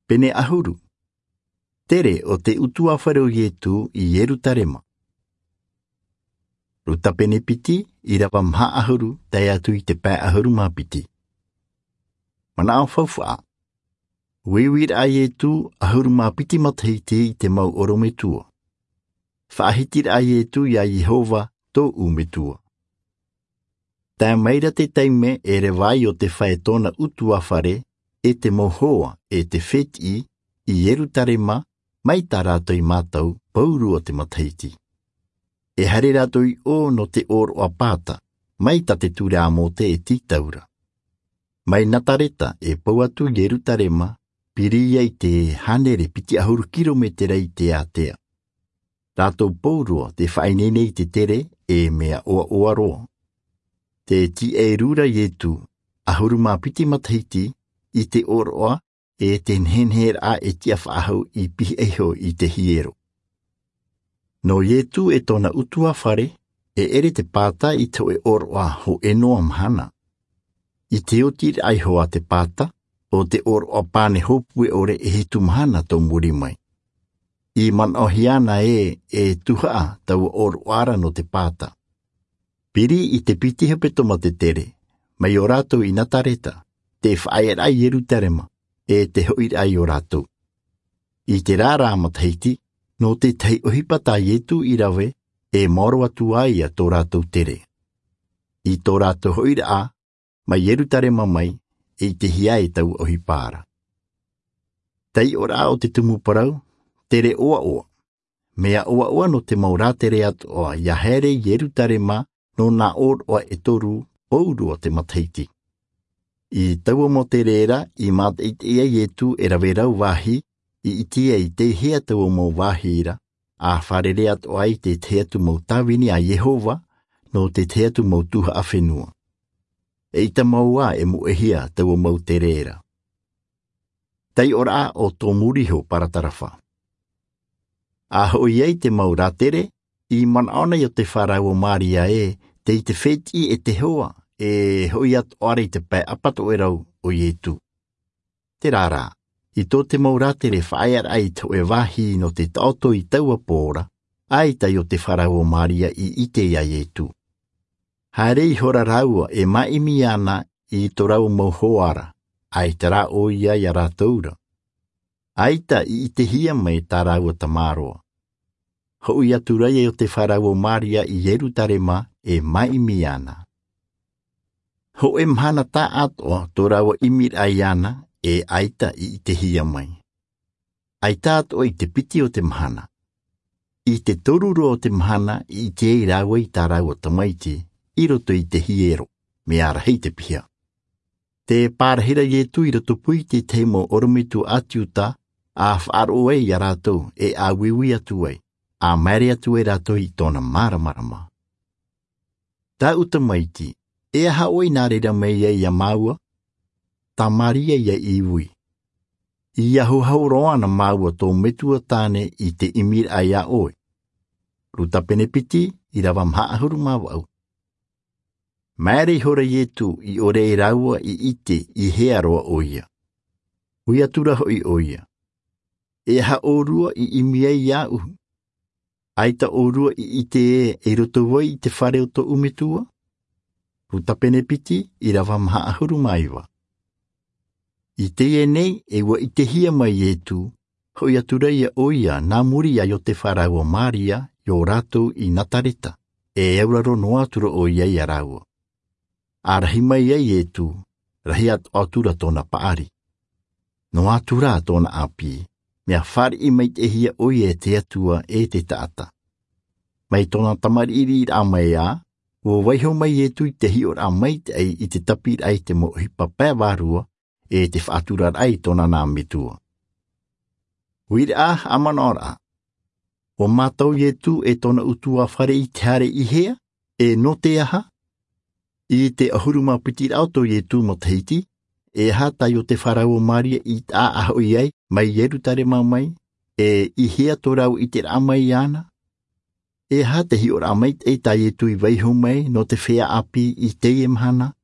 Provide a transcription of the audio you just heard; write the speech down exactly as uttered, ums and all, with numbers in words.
Pene ʻahuru. Tere o te ʻutuāfare o Ietu i Ierutarema. Luka pene piti, ʻirava maha ʻahuru tae atu i te pae ʻahuru mā piti. Manaʻo faufaʻa. Uiuiraʻa a Ietu ʻahuru mā piti matahiti i te mau ʻorometua. Faʻahitiraʻa a Ietu iā Iehova tōʻu Metua. Tae mai ra te taime e reva ai ʻo te fai tōna ʻutuāfare, e te mau hoa, e te fētiʻi, i Ierutarema, mai tā rātou i mātau, pauroa te matahiti. E haere rātou i ʻō nō te ʻōroʻa pāta, mai tā te ture a Mōte e tītau ra. Mai Nazareta e pau atu i Ierutarema, piri ia i te hānere piti ʻahuru kirometera i te ātea. Rātou pauroa te faʻaineine i te tere e mea ʻoaʻoa roa. Tē tīaʻi ra Ietu, ʻahuru mā piti matahiti, i te ʻōroʻa, e te neheneheraʻa e tiʻa faʻahou i pihaʻi iho i te hiero. Nō Ietu e tōna ʻutuāfare, e ʻere te pāta i te hōʻē ʻōroʻa hōʻē noa mahana. I te oti ra iho a te pāta, ʻo te ʻōroʻa pane hōpue ʻore e hitu mahana tō muri mai. I manaʻohia ana ē, e tuhaʻa taua ʻōroʻa ra nō te pāta. Piri i te piti hepetoma te tere, mai ʻo rātou i Nazareta, tē faʻaearaʻa i Ierutarema, e tē hoʻiraʻa i ʻō rātou. I te rā rā matahiti, nō te tahi ʻohipa tā Ietu i rave, e maoro atu ai ia tō rātou tere. I tō rātou hoʻiraʻa, mai Ierutarema mai, e ʻitehia ai taua ʻohipa ra. Taiʻoraʻa o te tumu parau, tere ʻoaʻoa. Mea ʻoaʻoa nō te mau rātere atoʻa ia haere i Ierutarema nō nā ʻōroʻa e toru pauroa te matahiti. I taua mau tere ra i mātaʻitaʻi ai Ietu e rave rau vāhi, i ʻite ai tei hea taua mau vāhi ra, a fārerei atoʻa ai te tahi atu mau tāvini a Iehova, nō te tahi atu mau tuhaʻa fenua. E ʻita mau ā e moʻehia taua mau tere ra. Taiʻoraʻa o tō muri iho paratarafa. A hoʻi ai te mau rātere, i manaʻo ana Iotefa rāua ʻo Māria ē, tei te fētiʻi e te hoa, e hoʻi atoʻa ra i te pae ʻapatoʻerau o Ietu. Terā rā, i tō te mau rātere faʻaearaʻa i te hōʻē vāhi nō te taʻoto i taua pō ra, ʻaita Iotefa rāua ʻo Māria i ʻite ia Ietu. Haere ihora rāua e māʻimi ana i tō rāua mau hoa ra, ʻaita rā ʻoia ia rātou ra. ʻAita i ʻitehia mai tā rāua tamaroa. Hoʻi atu ra ia Iotefa rāua ʻo Māria i Ierutarema e māʻimi ana. Hōʻē mahana taʻatoʻa tō rāua ʻimiraʻa iāna e ʻaita i ʻitehia mai. ʻAita atoʻa i te piti o te mahana. I te toru roa o te mahana i ʻite ai rāua i tā rāua tamaiti, i roto i te hiero, mea rahi te piha. Tē pārahi ra Ietu i rotopū i te tahi mau ʻorometua ʻāti Iuta, a faʻaroʻo ai ia rātou, e a uiui atu ai, a maere atu ai rātou i tōna māramarama. Tāʻu tamaiti, e aha ʻoe i nā reira mai ai ia māua? Tā Māria ia i ui. I ahuahu roa ana māua tō Metua tāne i te ʻimiraʻa ia ʻoe. Luka pene piti, ʻirava maha ʻahuru mā vaʻu. Maere ihora Ietu i ʻore ai rāua i ʻite i hea roa ʻoia. Ui atu ra hoʻi ʻoia. E aha ʻōrua i ʻimi ai iāʻu? ʻAita ʻōrua i ʻite ē, i roto vai i te fare o tōʻu Metua? Luka pene piti, ʻirava maha ʻahuru mā iva. I teie nei, e ʻua ʻitehia mai Ietu, hoʻi atu ra ia ʻoia, nā muri ia Iotefa rāua ʻo Māria, i ō rātou i Nazareta, e auraro noa atu ra ʻoia ia rāua. A rahi mai ai Ietu, rahi atoʻa atu ra tōna paʻari. Noa atu ra tōna ʻāpī, mea fāriʻi maitaʻihia ʻoia e te Atua e te taʻata. Mai tōna tamariʻi riʻiraʻa mai ā, ʻua vaiiho mai Ietu i te hiʻoraʻa maitaʻi i te tapiraʻa i te mau ʻohipa pae vārua, e te faʻaturaraʻa i tōna nā Metua. Uiraʻa, haʻamanaʻoraʻa. ʻUa mātau Ietu e tōna ʻutuāfare i te haere i hea, e nō te aha? I te ʻahuru mā piti raʻa o tō Ietu matahiti, e aha tā Iotefa rāua ʻo Māria i taʻa a hoʻi ai, mai Ierutarema mai, e i hea tō rāua ʻiteraʻa mai iāna? E aha te hiʻoraʻa maitaʻi tā Ietu i vaiiho mai nō te feiā ʻāpī i teie mahana?